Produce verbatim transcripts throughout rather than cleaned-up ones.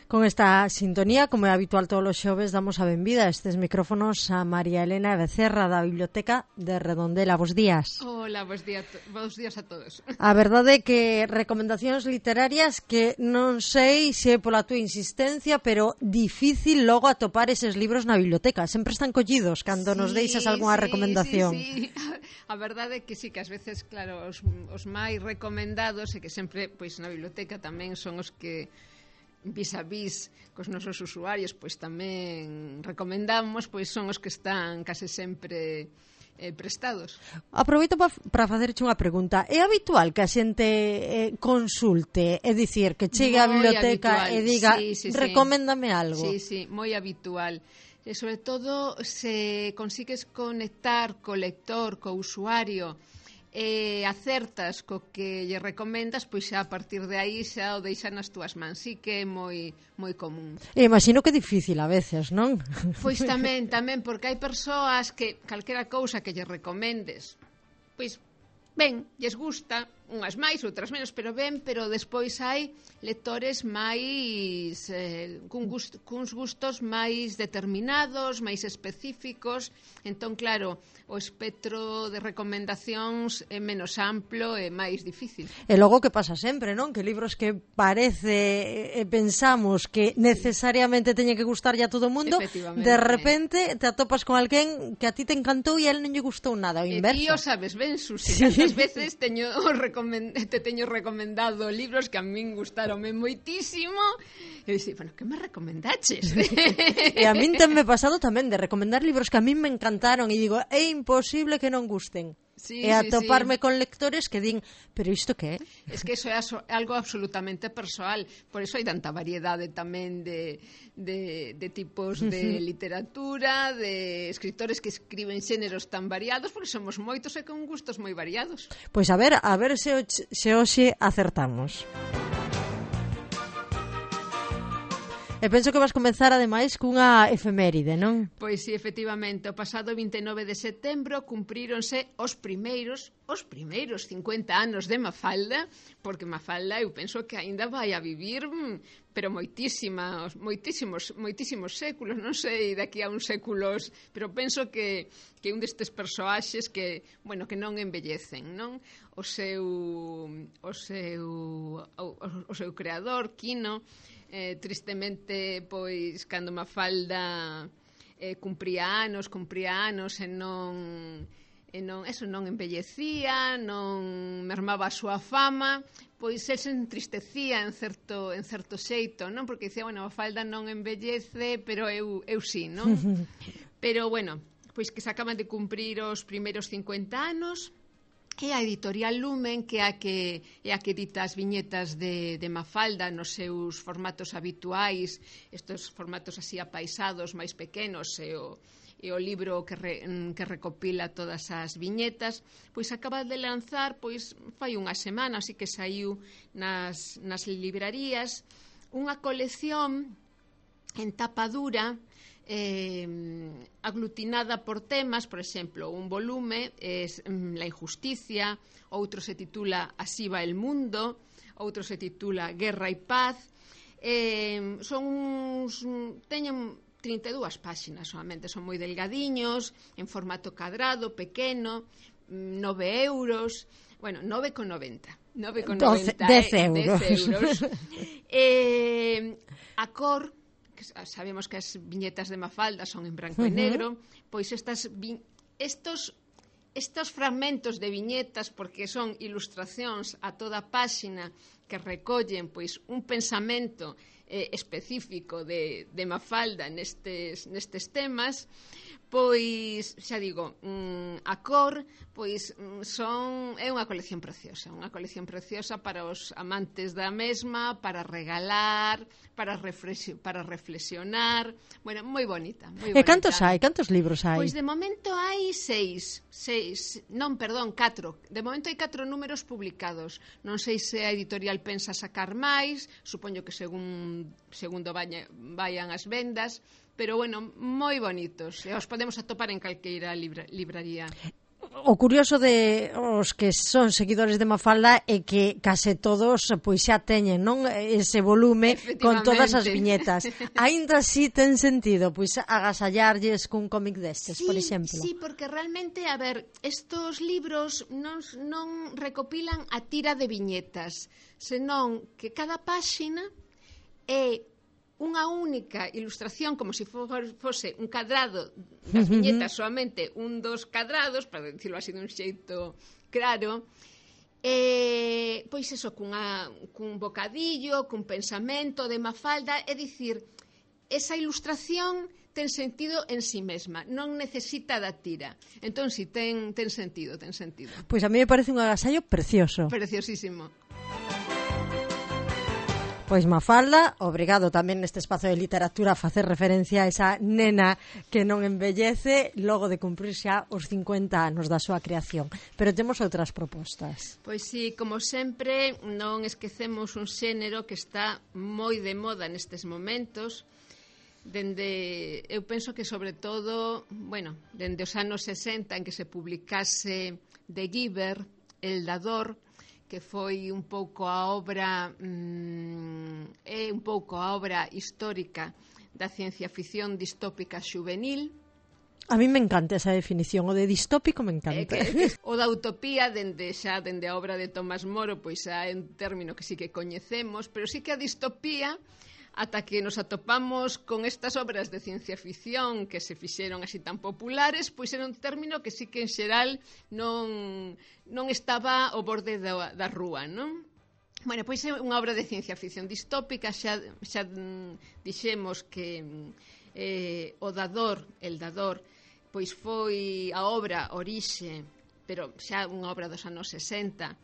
Con esta sintonía, como é habitual todos os xoves, damos a benvida a estes micrófonos a María Elena Becerra da Biblioteca de Redondela. Bos días. Hola, bos días, bos días a todos. A verdade é que recomendacións literarias que non sei se é pola túa insistencia, pero difícil logo atopar eses libros na biblioteca. Sempre están collidos cando sí, nos deixas algunha sí, recomendación. Sí, sí. A verdade é que sí, que ás veces, claro, os, os máis recomendados e que sempre, pois na biblioteca tamén son os que vis a vis cos nosos usuarios pois tamén recomendamos, pois son os que están case sempre eh, prestados. Aproveito para facerche unha pregunta. É habitual que a xente eh, consulte, é dicir, que chegue á biblioteca habitual. E diga, sí, sí, recoméndame sí. algo? Sí, sí, moi habitual. E sobre todo se consigues conectar co lector, co usuario, e acertas co que lle recomendas, pois xa a partir de aí xa o deixa nas túas mans. Sí que é moi moi común. E imagino que é difícil a veces, non? Pois tamén, tamén, porque hai persoas que calquera cousa que lle recomendes, pois ben, lles gusta, unhas máis, outras menos, pero ben, pero despois hai lectores máis eh, cun gusto, cuns gustos máis determinados, máis específicos. Entón, claro, o espectro de recomendacións é menos amplo e máis difícil. E logo que pasa sempre, non? Que libros que parece e pensamos que necesariamente teñen que gustarlle a todo o mundo, de repente te atopas con alguén que a ti te encantou e a él non lle gustou nada, o inverso. E ti o sabes ben, Susi, sí. Cantas veces teño recomend... te teño recomendado libros que a min gustaronme moitísimo e dixi, bueno, que me recomendaches? E a min tenme pasado tamén de recomendar libros que a min me encantaron e digo, é imposible que non gusten. Sí, e atoparme sí, sí. con lectores que din, pero isto que é? Es que eso é algo absolutamente persoal, por eso hai tanta variedade tamén de, de, de tipos de literatura, de escritores que escriben xéneros tan variados, porque somos moitos e con gustos moi variados. Pois a ver, a ver se, se hoxe acertamos. E penso que vas comenzar ademais cunha efeméride, non? Pois sí, efectivamente, o pasado vinte e nove de setembro cumpríronse os primeiros, os primeiros cincuenta anos de Mafalda, porque Mafalda eu penso que aínda vai a vivir, pero moitísimos, moitísimos, moitísimos séculos, non sei, daqui a uns séculos, pero penso que que un destes persoaxes que, bueno, que non envellecen, non? O seu o seu o, o seu creador, Quino, Eh, tristemente, pois, cando Mafalda eh, cumpría anos, cumpría anos e non, e non, eso non envellecía, non mermaba a súa fama, pois el se entristecía en certo, en certo xeito, non? Porque dicía, bueno, Mafalda non envellece, pero eu, eu sí, non? Pero, bueno, pois que se acaban de cumprir os primeiros cincuenta anos, e a editorial Lumen, que é a que, é a que edita as viñetas de, de Mafalda nos seus formatos habituais, estes formatos así apaisados, máis pequenos, e o, e o libro que, re, que recopila todas as viñetas, pois acaba de lanzar, pois fai unha semana, así que saiu nas, nas librarías, unha colección en tapa dura, Eh, aglutinada por temas, por exemplo, un volume é La injusticia, outro se titula Así va el mundo, outro se titula Guerra e paz. Eh, son uns, teñen trinta e dúas páxinas solamente, son moi delgadiños, en formato cadrado, pequeno, nove euros, bueno, nove con noventa. nove con noventa, dez euros. dez euros. eh, a cor, sabemos que as viñetas de Mafalda son en branco uh-huh. e negro, pois estas vi- estos estos fragmentos de viñetas, porque son ilustracións a toda a páxina que recollen pois un pensamento eh, específico de, de Mafalda nestes, nestes temas, pois, xa digo, mm, a cor, pois son é unha colección preciosa, unha colección preciosa para os amantes da mesma, para regalar, para reflexi- para reflexionar, bueno, moi bonita, moi bonita. E cantos hai? Cantos libros hai? Pois de momento hai seis, seis, non, perdón, catro. De momento hai catro números publicados. Non sei se a editorial pensa sacar máis, supoño que según segundo vayan, vayan as vendas, pero bueno, moi bonitos. E os podemos atopar en calqueira libra, libraría. o curioso de os que son seguidores de Mafalda é que case todos pois xa teñen, non, ese volume con todas as viñetas. Aínda así ten sentido pois agasallarlles cun cómic destes, sí, por exemplo. Sí, porque realmente, a ver, estos libros non, non recopilan a tira de viñetas, senón que cada páxina é unha única ilustración, como se fose un cadrado das viñetas, solamente un dos cadrados, para dicirlo así dun xeito claro, e, pois eso, cunha, cun bocadillo, cun pensamento de Mafalda, é dicir, esa ilustración ten sentido en si mesma, non necesita da tira. Entón, si, ten, ten sentido, ten sentido. Pois a mí me parece un agasallo precioso. Preciosísimo. Pois Mafalda, obrigado tamén neste espazo de literatura a facer referencia a esa nena que non envellece logo de cumprir xa os cincuenta anos da súa creación. Pero temos outras propostas. Pois sí, como sempre, non esquecemos un xénero que está moi de moda nestes momentos, dende, eu penso que sobre todo, bueno, dende os anos sesenta en que se publicase The Giver, El Dador, que foi un pouco a obra mmm, é un pouco a obra histórica da ciencia ficción distópica xuvenil. A mí me encanta esa definición, o de distópico me encanta. Eh, que, que, o da utopía, dende xa dende a obra de Tomás Moro, pois xa é un término que sí que coñecemos, pero sí que a distopía, ata que nos atopamos con estas obras de ciencia ficción que se fixeron así tan populares, pois era un término que sí que en xeral non, non estaba ao borde da, da rúa, non? Bueno, pois é unha obra de ciencia ficción distópica, xa, xa dixemos que eh, o Dador, el Dador, pois foi a obra orixe, pero xa unha obra dos anos sesenta,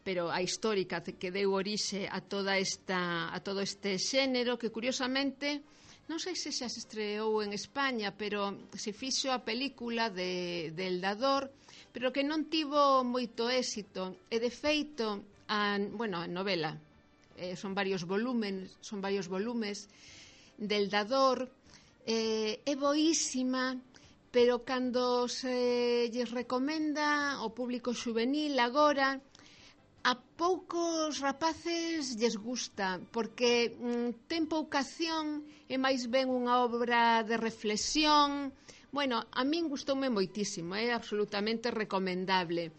pero a histórica que deu orixe a toda esta a todo este xénero que curiosamente non sei se xa se estreou en España, pero se fixo a película de, de El Dador, pero que non tivo moito éxito e de feito a, bueno, a novela eh, son varios volumes son varios volumes del Dador eh, é boísima, pero cando se lles recomenda ao público xuvenil agora, a poucos rapaces lles gusta, porque mm, ten pouca acción, é máis ben unha obra de reflexión. Bueno, a min gustoume moitísimo, é absolutamente recomendable.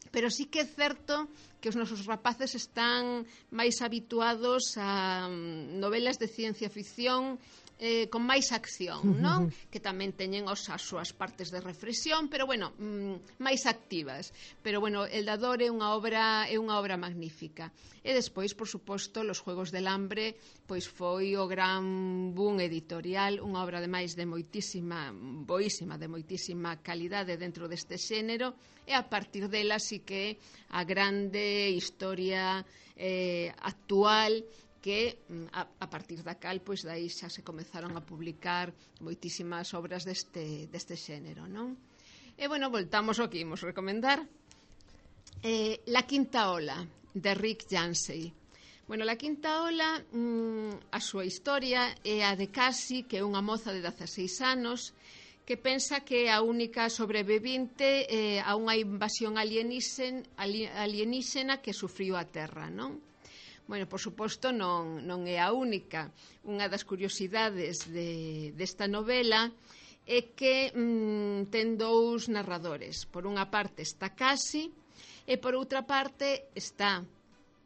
Pero sí que é certo que os nosos rapaces están máis habituados a novelas de ciencia ficción eh, con máis acción, non? Que tamén teñen os, as súas partes de reflexión, pero bueno, mm, máis activas. Pero bueno, El Dador é unha obra é unha obra magnífica. E despois, por suposto, Los Juegos del Hambre, pois foi o gran boom editorial, unha obra ademais de moitísima, boísima, de moitísima calidade dentro deste xénero, e a partir dela sí que a grande historia eh, actual que a, a partir da cal, pois dai xa se comezaron a publicar moitísimas obras deste, deste xénero, non? E, bueno, voltamos ao que imos recomendar. Eh, La Quinta Ola, de Rick Yancey. Bueno, La Quinta Ola, mmm, a súa historia é a de Cassie, que é unha moza de dezaseis anos, que pensa que é a única sobrevivinte eh, a unha invasión alienígena, alienígena que sufriu a Terra, non? Bueno, por suposto, non, non é a única. Unha das curiosidades de, desta novela é que mmm, ten dous narradores. Por unha parte está Cassie e por outra parte está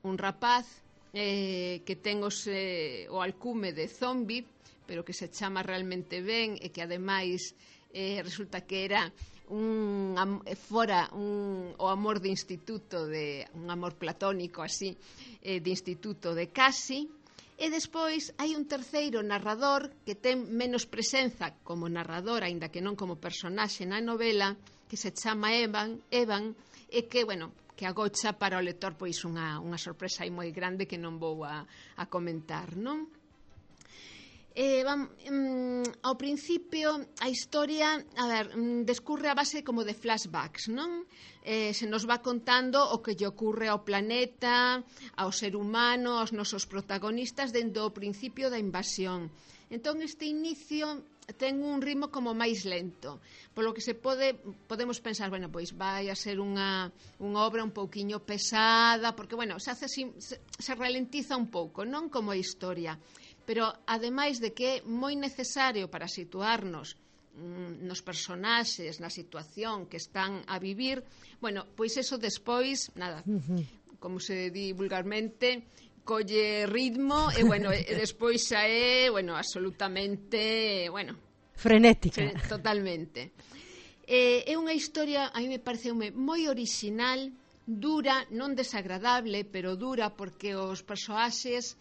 un rapaz eh, que ten os, eh, o alcume de zombie, pero que se chama realmente ben e que ademais eh, resulta que era un fora un, o amor de instituto, de un amor platónico así, eh, de instituto de Cassie. E despois hai un terceiro narrador que ten menos presenza como narrador, aínda que non como personaxe na novela, que se chama Evan, Evan e que, bueno, que agocha para o lector pois unha, unha sorpresa aí moi grande que non vou a, a comentar, non? Eh, vam, um, ao principio a historia, a ver, um, descurre a base como de flashbacks, non? Eh, se nos va contando o que lle ocurre ao planeta, ao ser humano, aos nosos protagonistas dende o principio da invasión. Entón, este inicio ten un ritmo como máis lento, polo que se pode podemos pensar, bueno, pois vai a ser unha, unha obra un pouquiño pesada, porque, bueno, se, hace, se, se ralentiza un pouco, non como a historia, pero ademais de que é moi necesario para situarnos mm, nos personaxes, na situación que están a vivir, bueno, pois eso despois, nada, como se di vulgarmente, colle ritmo e, bueno, e despois xa é, bueno, absolutamente, bueno, frenética. Fre totalmente. Eh, é unha historia, a mí me parece moi original, dura, non desagradable, pero dura, porque os persoaxes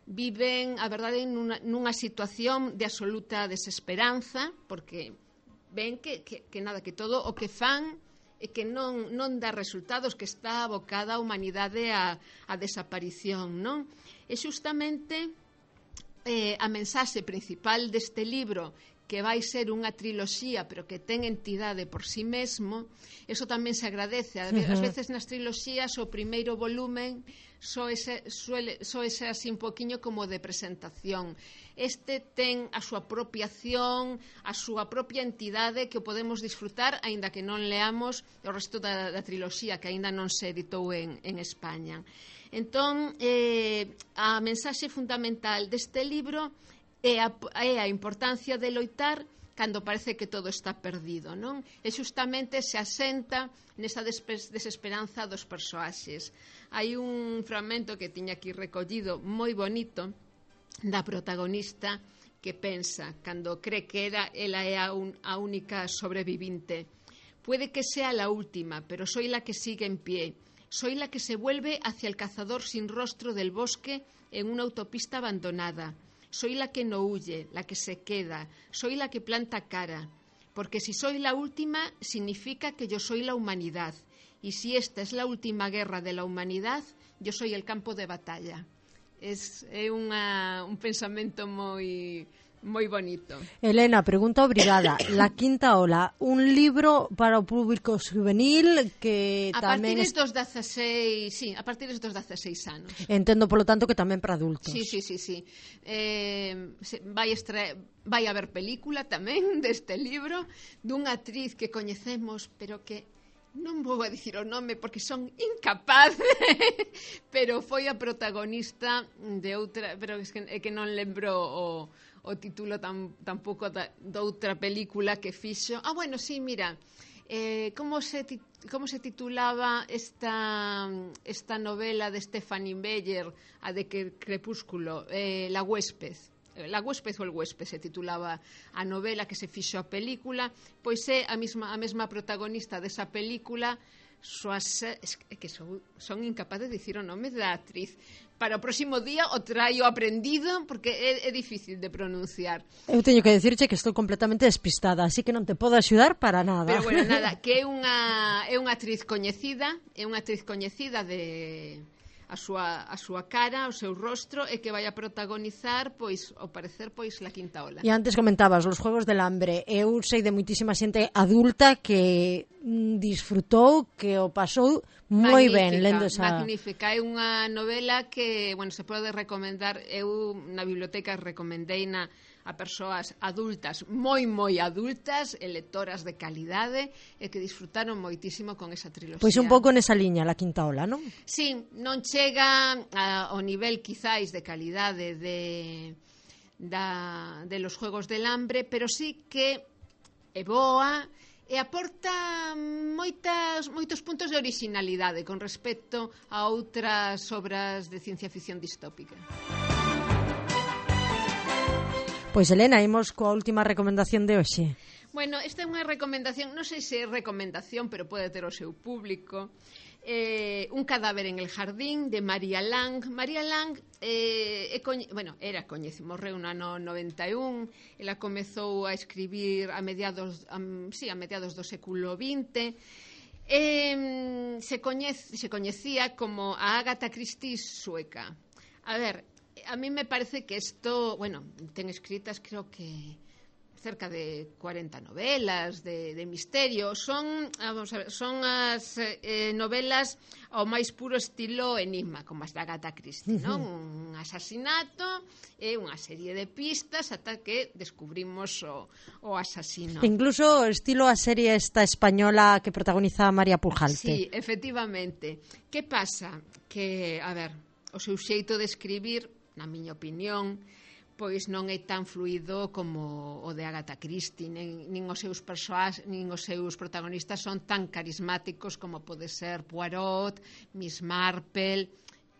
viven, a verdade, nunha, nunha situación de absoluta desesperanza, porque ven que, que, que nada, que todo o que fan e que non, non dá resultados, que está abocada a humanidade a, a desaparición, non? E xustamente eh, a mensaxe principal deste libro, que vai ser unha triloxía, pero que ten entidade por si sí mesmo, eso tamén se agradece. Ás veces nas triloxías o primeiro volumen só ese, suele, só ese así un poquinho como de presentación. Este ten a súa propia acción, a súa propia entidade que o podemos disfrutar, aínda que non leamos o resto da, da triloxía, que aínda non se editou en, en España. Entón, eh, a mensaxe fundamental deste libro é a, é a importancia de loitar cando parece que todo está perdido, non? E xustamente se asenta nesa desesperanza dos persoaxes. Hai un fragmento que tiña aquí recollido moi bonito da protagonista que pensa, cando cree que era, ela é a, un, a única sobrevivinte: puede que sea la última, pero soy la que sigue en pie. Soy la que se vuelve hacia el cazador sin rostro del bosque en una autopista abandonada. Soy la que no huye, la que se queda. Soy la que planta cara. Porque si soy la última, significa que yo soy la humanidad. Y si esta es la última guerra de la humanidad, yo soy el campo de batalla. Es, é unha, un pensamento moi... moi bonito. Elena, pregunta obrigada. La quinta ola, un libro para o público juvenil que a tamén... A partir dos dezaseis, sí, a partir dos dezaseis anos. Entendo, polo tanto, que tamén para adultos. Sí, sí, sí, sí. Eh, vai, extra... vai haber película tamén deste libro dunha actriz que coñecemos, pero que non vou a dicir o nome porque son incapaz, pero foi a protagonista de outra, pero é que, é que non lembro o, o título tam, tampouco da, de outra película que fixo. Ah, bueno, sí, mira, eh, como se como se titulaba esta esta novela de Stephanie Meyer, a de que Crepúsculo, eh, La huésped. La huésped ou el huésped se titulaba a novela que se fixo a película, pois é a mesma, a mesma protagonista desa película. Soas, é que son, son incapaz de dicir o nome da actriz. Para o próximo día o traio aprendido porque é, é difícil de pronunciar. Eu teño que dicirche que estou completamente despistada, así que non te podo axudar para nada. Pero bueno, nada, que é unha, é unha actriz coñecida, é unha actriz coñecida de... a súa, a súa cara, o seu rostro, e que vai a protagonizar, pois, ao parecer, pois, La quinta ola. E antes comentabas, Los Juegos del Hambre. Eu sei de moitísima xente adulta que disfrutou, que o pasou moi ben lendo esa... Magnífica, é unha novela que, bueno, se pode recomendar. Eu na biblioteca recomendei na a persoas adultas, moi, moi adultas, e lectoras de calidade, e que disfrutaron moitísimo con esa triloxía. Pois un pouco nesa liña, La quinta ola, non? Sí, non chega a, ao nivel, quizáis, de calidade de, da, de Los Juegos del Hambre, pero sí que é boa e aporta moitas, moitos puntos de originalidade con respecto a outras obras de ciencia ficción distópica. Pois, Elena, imos coa última recomendación de hoxe. Bueno, esta é unha recomendación, non sei se é recomendación, pero pode ter o seu público. Eh, Un cadáver en el jardín, de Maria Lang. Maria Lang eh, é coñe... bueno, era coñece, morreu no ano noventa e un. Ela comezou a escribir a mediados, um, sí, a mediados do século vinte. Eh, se, coñece, se coñecía como a Agatha Christie sueca. A ver, a mí me parece que isto, bueno, ten escritas, creo que cerca de cuarenta novelas de, de misterio. Son, vamos a ver, son as eh, novelas ao máis puro estilo enigma, como as da Agatha Christie, non? Un asasinato e unha serie de pistas ata que descubrimos o, o asasino. Incluso estilo a serie esta española que protagoniza María Pujalte. Sí, efectivamente. Que pasa? Que, a ver, o seu xeito de escribir, na miña opinión, pois non é tan fluido como o de Agatha Christie, nin, nin os seus persoas, nin os seus protagonistas son tan carismáticos como pode ser Poirot, Miss Marple.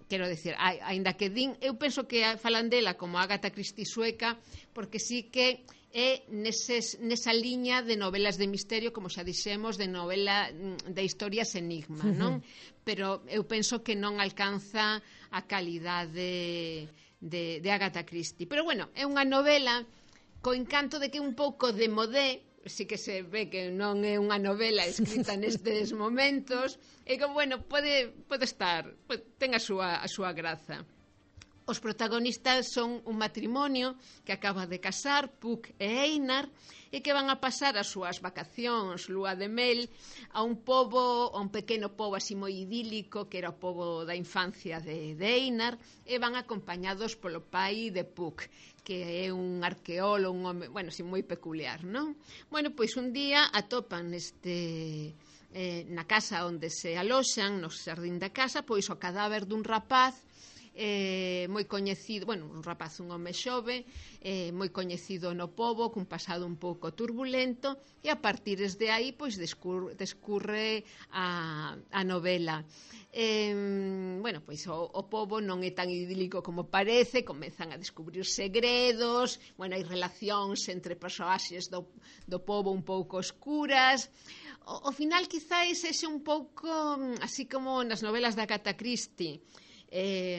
Quero decir, aínda que din, eu penso que falan dela como Agatha Christie sueca, porque sí que é neses, nesa liña de novelas de misterio, como xa dixemos, de novela de historias enigma, non? Pero eu penso que non alcanza a calidade De, de Agatha Christie. Pero bueno, é unha novela co encanto de que é un pouco de modé, si que se ve que non é unha novela escrita nestes momentos, e que, bueno, pode, pode estar, pode, ten a súa, a súa graza. Os protagonistas son un matrimonio que acaba de casar, Puck e Einar, e que van a pasar as súas vacacións, lúa de mel, a un pobo, a un pequeno pobo así moi idílico, que era o pobo da infancia de, de Einar, e van acompañados polo pai de Puck, que é un arqueólogo, un home, bueno, así moi peculiar, non? Bueno, pois un día atopan este... Eh, na casa onde se aloxan, no xardín da casa, pois o cadáver dun rapaz eh, moi coñecido, bueno, un rapaz, un home xove, eh, moi coñecido no pobo, cun pasado un pouco turbulento, e a partir de aí, pois, descurre, descurre a, a novela. Eh, bueno, pois o, o pobo non é tan idílico como parece, comezan a descubrir segredos, bueno, hai relacións entre personaxes do, do pobo un pouco oscuras. O, o final quizáis é un pouco así como nas novelas da Agatha Christie, eh,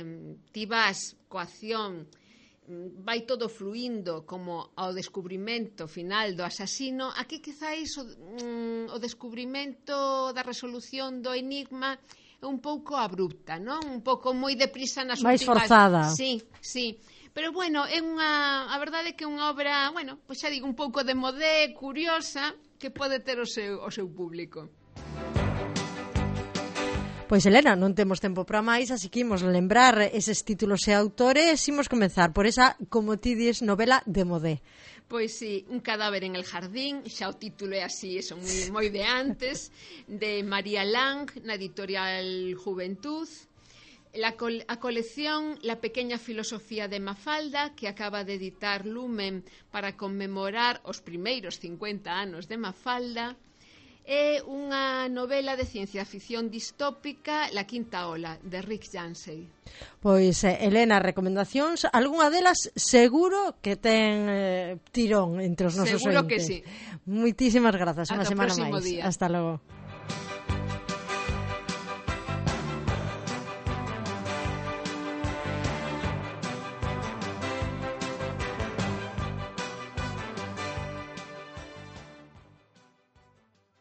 ti vas coa acción, vai todo fluindo como ao descubrimento final do asasino. Aquí quizáis o, mm, o descubrimento da resolución do enigma é un pouco abrupta, non? Un pouco moi deprisa nas máis últimas... forzada. Sí, sí. Pero bueno, é unha, a verdade é que é unha obra, bueno, pois xa digo, un pouco de modé, curiosa, que pode ter o seu, o seu público. Pois, Elena, non temos tempo para máis, así que imos lembrar eses títulos e autores. Imos comenzar por esa, como ti dis, novela de modé. Pois sí, Un cadáver en el jardín, xa o título é así, eso, moi, moi de antes, de María Lang, na editorial Juventud. La col- a colección La pequeña filosofía de Mafalda, que acaba de editar Lumen para conmemorar os primeiros cincuenta anos de Mafalda. É unha novela de ciencia ficción distópica, La quinta ola, de Rick Yancey. Pois, Elena, recomendacións, algunha delas seguro que ten eh, tirón entre os nosos seguro ointes. Que sí. Moitísimas grazas, unha Ata semana o próximo máis. Día. Hasta logo.